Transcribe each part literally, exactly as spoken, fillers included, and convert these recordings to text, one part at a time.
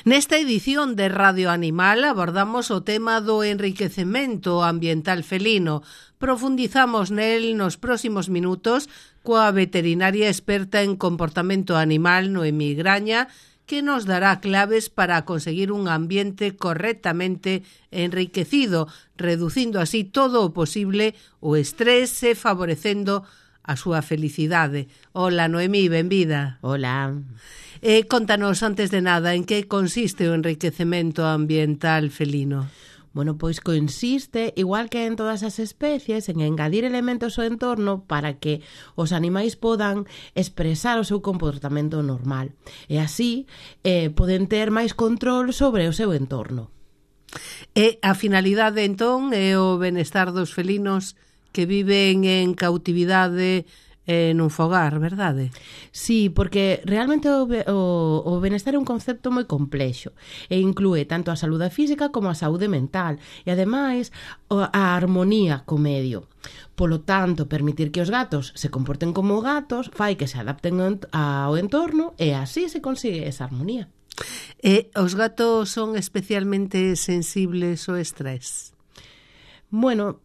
Nesta edición de Radio Animal abordamos o tema do enriquecemento ambiental felino. Profundizamos nel nos próximos minutos coa veterinaria experta en comportamento animal Noemí Graña, que nos dará claves para conseguir un ambiente correctamente enriquecido, reducindo así todo o posible o estrés e favorecendo a súa felicidade. Hola, Noemí, benvida. Hola. Eh, contanos, antes de nada, en que consiste o enriquecemento ambiental felino? Bueno, pois consiste, igual que en todas as especies, en engadir elementos ao entorno para que os animais podan expresar o seu comportamento normal. E así eh, poden ter máis control sobre o seu entorno. E a finalidade, entón, é o benestar dos felinos que viven en cautividade en un fogar, verdade? Sí, porque realmente o, o, o benestar é un concepto moi complexo e inclúe tanto a saúde física como a saúde mental e, ademais, a armonía co medio. Polo tanto, permitir que os gatos se comporten como gatos fai que se adapten ao entorno e así se consigue esa armonía. E os gatos son especialmente sensibles ao estrés? Bueno,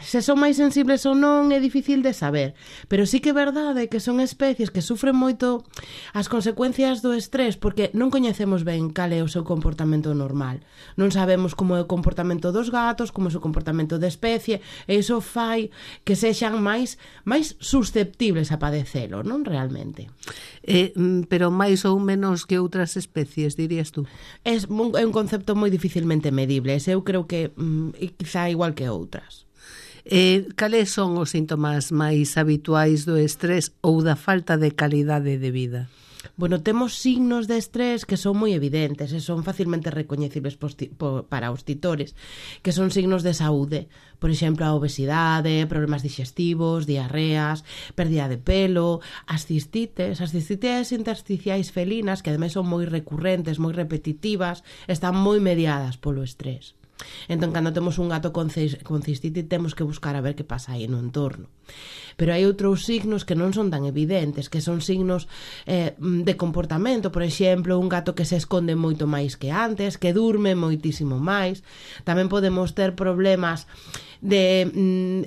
se son máis sensibles ou non é difícil de saber, pero sí que é verdade que son especies que sufren moito as consecuencias do estrés porque non coñecemos ben cal é o seu comportamento normal. Non sabemos como é o comportamento dos gatos, como é o seu comportamento de especie, e iso fai que sexan máis máis susceptibles a padecelo, non realmente? Eh, pero máis ou menos que outras especies, dirías tú? É un, é un concepto moi dificilmente medible, eu creo que mm, quizá igual que outras. Eh, cales son os síntomas máis habituais do estrés ou da falta de calidade de vida? Bueno, temos signos de estrés que son moi evidentes e son facilmente recoñecibles para os titores, que son signos de saúde. Por exemplo, a obesidade, problemas digestivos, diarreas, pérdida de pelo, as cistites. As cistites intersticiais felinas, que ademais son moi recurrentes, moi repetitivas, están moi mediadas polo estrés. Entón, cando temos un gato con cistite, temos que buscar a ver que pasa aí no entorno. Pero hai outros signos que non son tan evidentes, que son signos eh, de comportamento. Por exemplo, un gato que se esconde moito máis que antes, que durme moitísimo máis. Tamén podemos ter problemas de,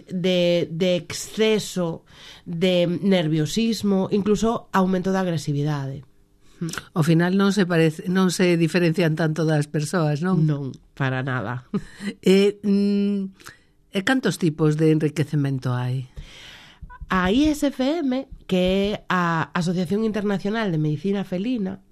de, de exceso, de nerviosismo, incluso aumento da agresividade. Ao final non se parece, non se diferencian tanto das persoas, non? Non, para nada. E, mm, e cantos tipos de enriquecemento hai? A I S F M, que é a Asociación Internacional de Medicina Felina,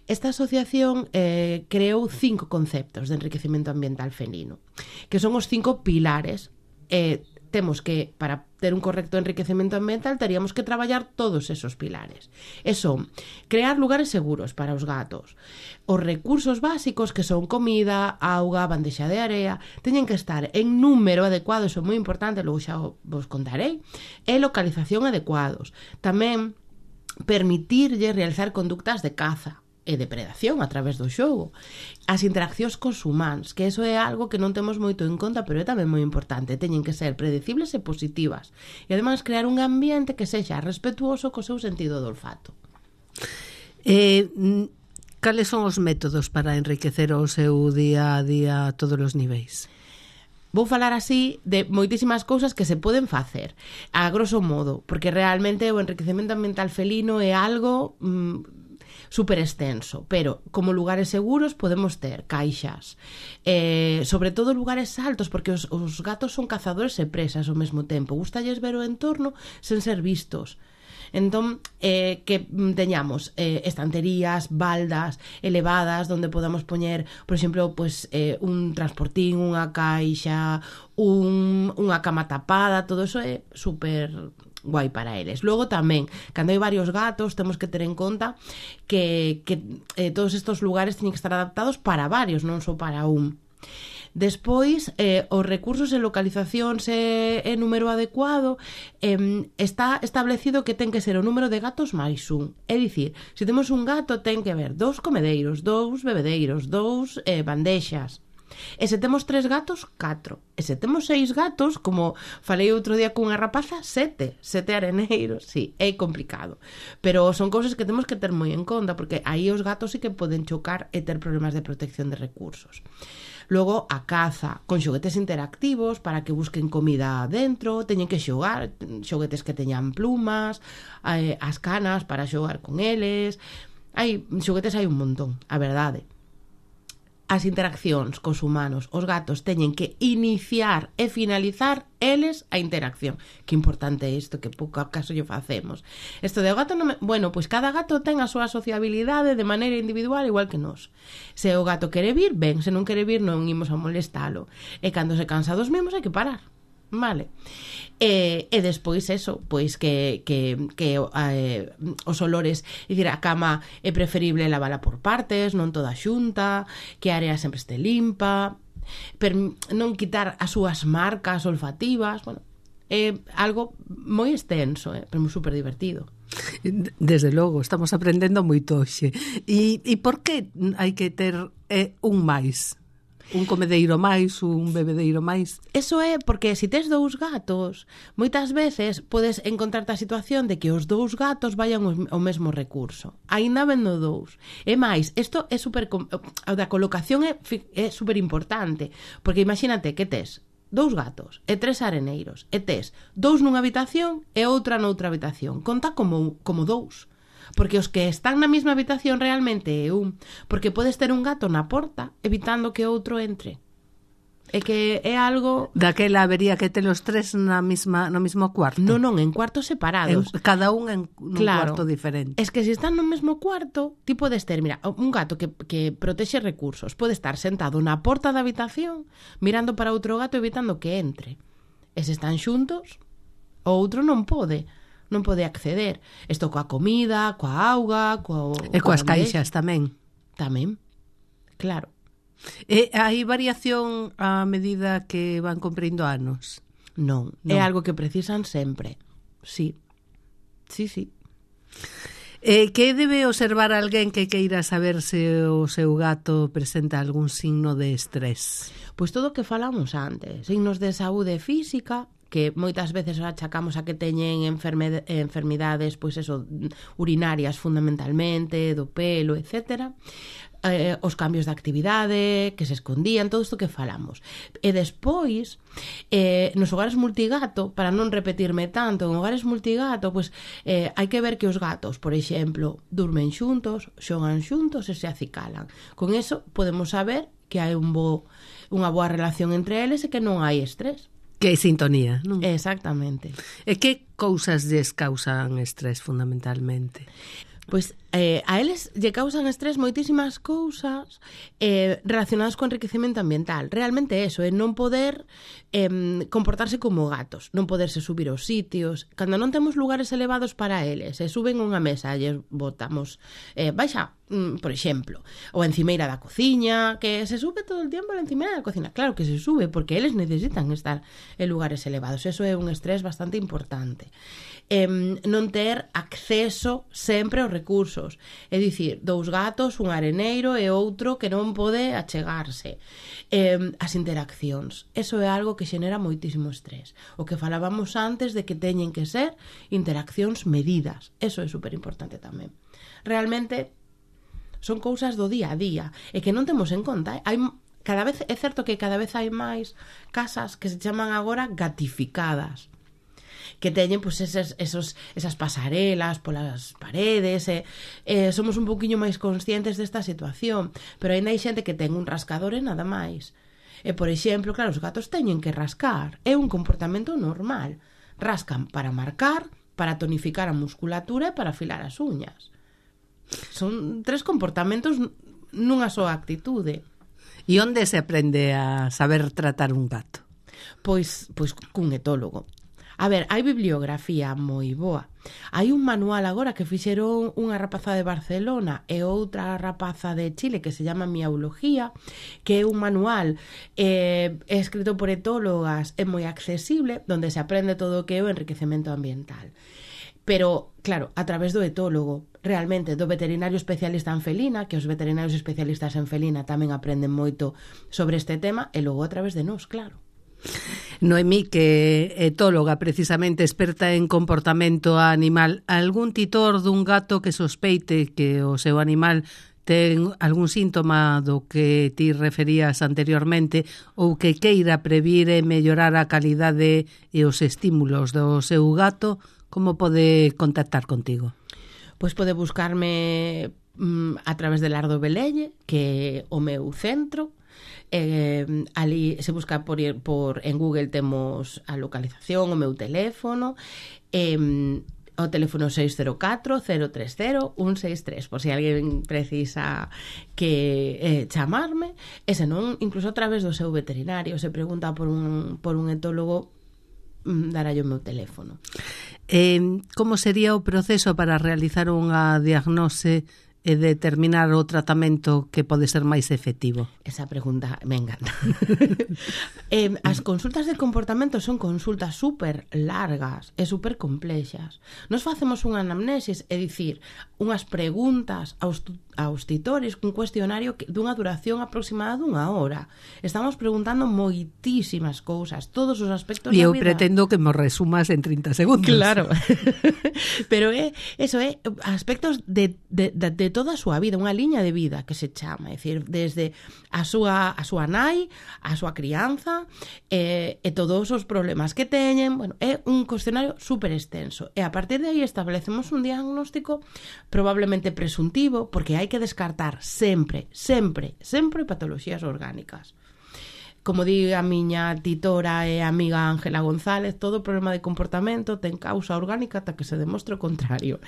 esta asociación eh, creou cinco conceptos de enriquecemento ambiental felino, que son os cinco pilares. Eh, temos que, para ter un correcto enriquecemento ambiental, teríamos que traballar todos esos pilares. E son crear lugares seguros para os gatos. Os recursos básicos, que son comida, auga, bandexa de area, teñen que estar en número adecuado, eso é moi importante, logo xa vos contarei, e localización adecuados. Tamén permitirlle realizar conductas de caza e depredación a través do xogo. As interaccións cos humanos, que eso é algo que non temos moito en conta, pero é tamén moi importante. Teñen que ser predecibles e positivas. E ademais crear un ambiente que sexa respetuoso co seu sentido do olfato. Eh, cales son os métodos para enriquecer o seu día a día a todos os niveis? Vou falar así de moitísimas cousas que se poden facer, a grosso modo, porque realmente o enriquecemento ambiental felino é algo Mmm, super extenso, pero como lugares seguros podemos ter caixas, eh, sobre todo lugares altos, porque os, os gatos son cazadores e presas ao mesmo tempo, gustalles ver o entorno sen ser vistos. Entón, eh, que teñamos eh, estanterías, baldas elevadas onde podamos poñer, por exemplo, pues, eh, un transportín, unha caixa, un, unha cama tapada, todo eso é super guai para eles. Logo tamén, cando hai varios gatos, temos que ter en conta que, que eh, todos estes lugares teñen que estar adaptados para varios, non só para un. Despois, eh, os recursos e localizacións e, e número adecuado, eh, está establecido que ten que ser o número de gatos máis un. É dicir, se temos un gato, ten que haber dous comedeiros, dous bebedeiros, dous eh, bandexas. E se temos tres gatos, catro. E se temos seis gatos, como falei outro día cunha rapaza, sete. Sete areneiros, sí, é complicado. Pero son cousas que temos que ter moi en conta, porque aí os gatos sí que poden chocar e ter problemas de protección de recursos. Logo, a caza, con xoguetes interactivos para que busquen comida dentro, teñen que xogar, xoguetes que teñan plumas, eh, as canas para xogar con eles. Hai xoguetes, hai un montón, a verdade. As interaccións cos humanos, os gatos teñen que iniciar e finalizar eles a interacción. Que importante é isto, que pouco acaso lle facemos. Isto de o gato non me... Bueno, pois cada gato ten a súa sociabilidade de maneira individual igual que nós. Se o gato quere vir, ben, se non quere vir non imos a molestalo. E cando se cansa dos mesmos hai que parar. Vale. E, e despois eso, pois que, que, que eh, os olores, é dicir, a cama é preferible lavala por partes, non toda xunta, que a área sempre este limpa, per non quitar as súas marcas olfativas, bueno, é algo moi extenso, eh, pero moi super divertido. Desde logo, estamos aprendendo moito hoxe. E, e por que hai que ter eh, un máis? Un comedeiro máis, un bebedeiro máis. Eso é porque se tes dous gatos, moitas veces podes encontrarte a situación de que os dous gatos vayan ao mesmo recurso. Aínda vendo dous. E máis, isto é super... A da colocación é, é super importante, porque imagínate que tes dous gatos e tres areneiros, e tes dous nunha habitación e outra noutra habitación. Conta como, como dous. Porque os que están na mesma habitación realmente é un. Porque podes ter un gato na porta evitando que outro entre. É que é algo... Daquela habería que ter os tres na mesma, no mesmo cuarto. Non, non, en cuartos separados. En, cada un en un claro, cuarto diferente. Es que se están no mesmo cuarto, ti podes ter, mira, un gato que, que protexe recursos, pode estar sentado na porta da habitación mirando para outro gato evitando que entre. E se están xuntos, o outro non pode. Non pode acceder. Isto coa comida, coa auga, coa... E coas caixas tamén. Tamén, claro. E hai variación a medida que van cumprindo anos? Non, non. É algo que precisan sempre. Sí, sí, sí. E que debe observar alguén que queira saber se o seu gato presenta algún signo de estrés? Pois todo o que falamos antes. Signos de saúde física, que moitas veces achacamos a que teñen enferme, enfermidades, pois eso, urinarias fundamentalmente, do pelo, etcétera. Eh, os cambios de actividade, que se escondían, todo isto que falamos. E despois, eh, nos hogares multigato, para non repetirme tanto, en hogares multigato, pois eh, hai que ver que os gatos, por exemplo, durmen xuntos, xogan xuntos e se acicalan. Con eso podemos saber que hai un bo, unha boa relación entre eles e que non hai estrés. Que hai sintonía, non? Exactamente. E que cousas lles causan estrés fundamentalmente? Pois eh, a eles lle causan estrés moitísimas cousas eh, relacionadas co enriquecemento ambiental. Realmente eso, é non poder eh, comportarse como gatos, non poderse subir aos sitios. Cando non temos lugares elevados para eles, se suben unha mesa e botamos eh, baixa, mm, por exemplo, ou a encimeira da cociña, que se sube todo o tempo a encimeira da cociña. Claro que se sube, porque eles necesitan estar en lugares elevados. Eso é un estrés bastante importante. Eh, non ter acceso sempre aos recursos. É dicir, dous gatos, un areneiro e outro que non pode achegarse. Eh, as interaccións. Eso é algo que xenera moitísimo estrés. O que falábamos antes de que teñen que ser interaccións medidas. Eso é super importante tamén. Realmente son cousas do día a día e que non temos en conta. Eh? Hai cada vez, é certo que cada vez hai máis casas que se chaman agora gatificadas, que teñen pues, eses, esos, esas pasarelas polas paredes, e, e somos un poquinho máis conscientes desta situación, pero ainda hai xente que ten un rascador e nada máis. E, por exemplo, claro, os gatos teñen que rascar, é un comportamento normal. Rascan para marcar, para tonificar a musculatura e para afilar as uñas. Son tres comportamentos nunha soa actitude. E onde se aprende a saber tratar un gato? Pois, pois cun etólogo. A ver, hai bibliografía moi boa. Hai un manual agora que fixeron unha rapaza de Barcelona e outra rapaza de Chile que se llama Miaulogía, que é un manual eh, escrito por etólogas, é moi accesible, donde se aprende todo o que é o enriquecemento ambiental. Pero, claro, a través do etólogo, realmente do veterinario especialista en felina, que os veterinarios especialistas en felina tamén aprenden moito sobre este tema, e logo a través de nós, claro. Noemí, que é etóloga, precisamente experta en comportamento animal, algún titor dun gato que sospeite que o seu animal ten algún síntoma do que ti referías anteriormente ou que queira previr e mellorar a calidade e os estímulos do seu gato, como pode contactar contigo? Pois pode buscarme mm, a través de Lardo Velelle, que é o meu centro. Eh, ali se busca por, por en Google, temos a localización, o meu teléfono, eh, o teléfono seis cero catro, cero tres cero, un seis tres, por se si alguén precisa que eh, chamarme, e senón incluso a través do seu veterinario, se pregunta por un, por un etólogo, mm, dará o meu teléfono. Eh, como sería o proceso para realizar unha diagnose e determinar o tratamento que pode ser máis efectivo? Esa pregunta me encanta. eh, as consultas de comportamento son consultas super largas e super complexas. Nos facemos unha anamnesis, é dicir, unhas preguntas aos, aos titores, cun cuestionario que, dunha duración aproximada dunha hora. Estamos preguntando moitísimas cousas, todos os aspectos da vida. E eu vida. pretendo que me resumas en trinta segundos. Claro. Pero é, eso é aspectos de, de, de, de toda a súa vida, unha liña de vida que se chama, é dicir, desde a súa, a súa nai, a súa crianza, e, e todos os problemas que teñen. Bueno, é un cuestionario super extenso, e a partir de aí establecemos un diagnóstico probablemente presuntivo, porque hai que descartar sempre, sempre, sempre patoloxías orgánicas. Como di a miña titora e amiga Ángela González, todo problema de comportamento ten causa orgánica ata que se demostre o contrario.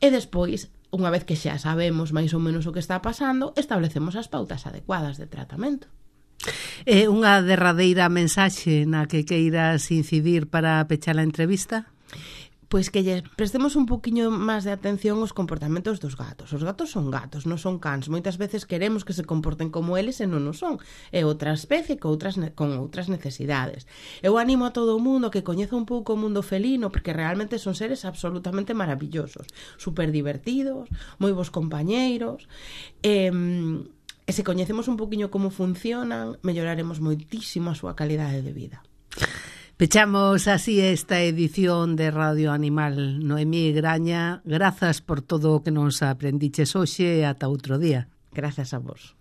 E despois, unha vez que xa sabemos máis ou menos o que está pasando, establecemos as pautas adecuadas de tratamento. É unha derradeira mensaxe na que queiras incidir para pechar a entrevista? Pois que lle prestemos un poquinho máis de atención aos comportamentos dos gatos. Os gatos son gatos, non son cans. Moitas veces queremos que se comporten como eles e non o son. É outra especie con outras, con outras necesidades. Eu animo a todo o mundo que coñeza un pouco o mundo felino, porque realmente son seres absolutamente maravillosos, super divertidos, moi bons compañeiros. E, e se coñecemos un poquinho como funcionan, melloraremos moitísimo a súa calidade de vida. Pechamos así esta edición de Radio Animal. Noemí Graña, grazas por todo o que nos aprendiches hoxe e ata outro día. Grazas a vos.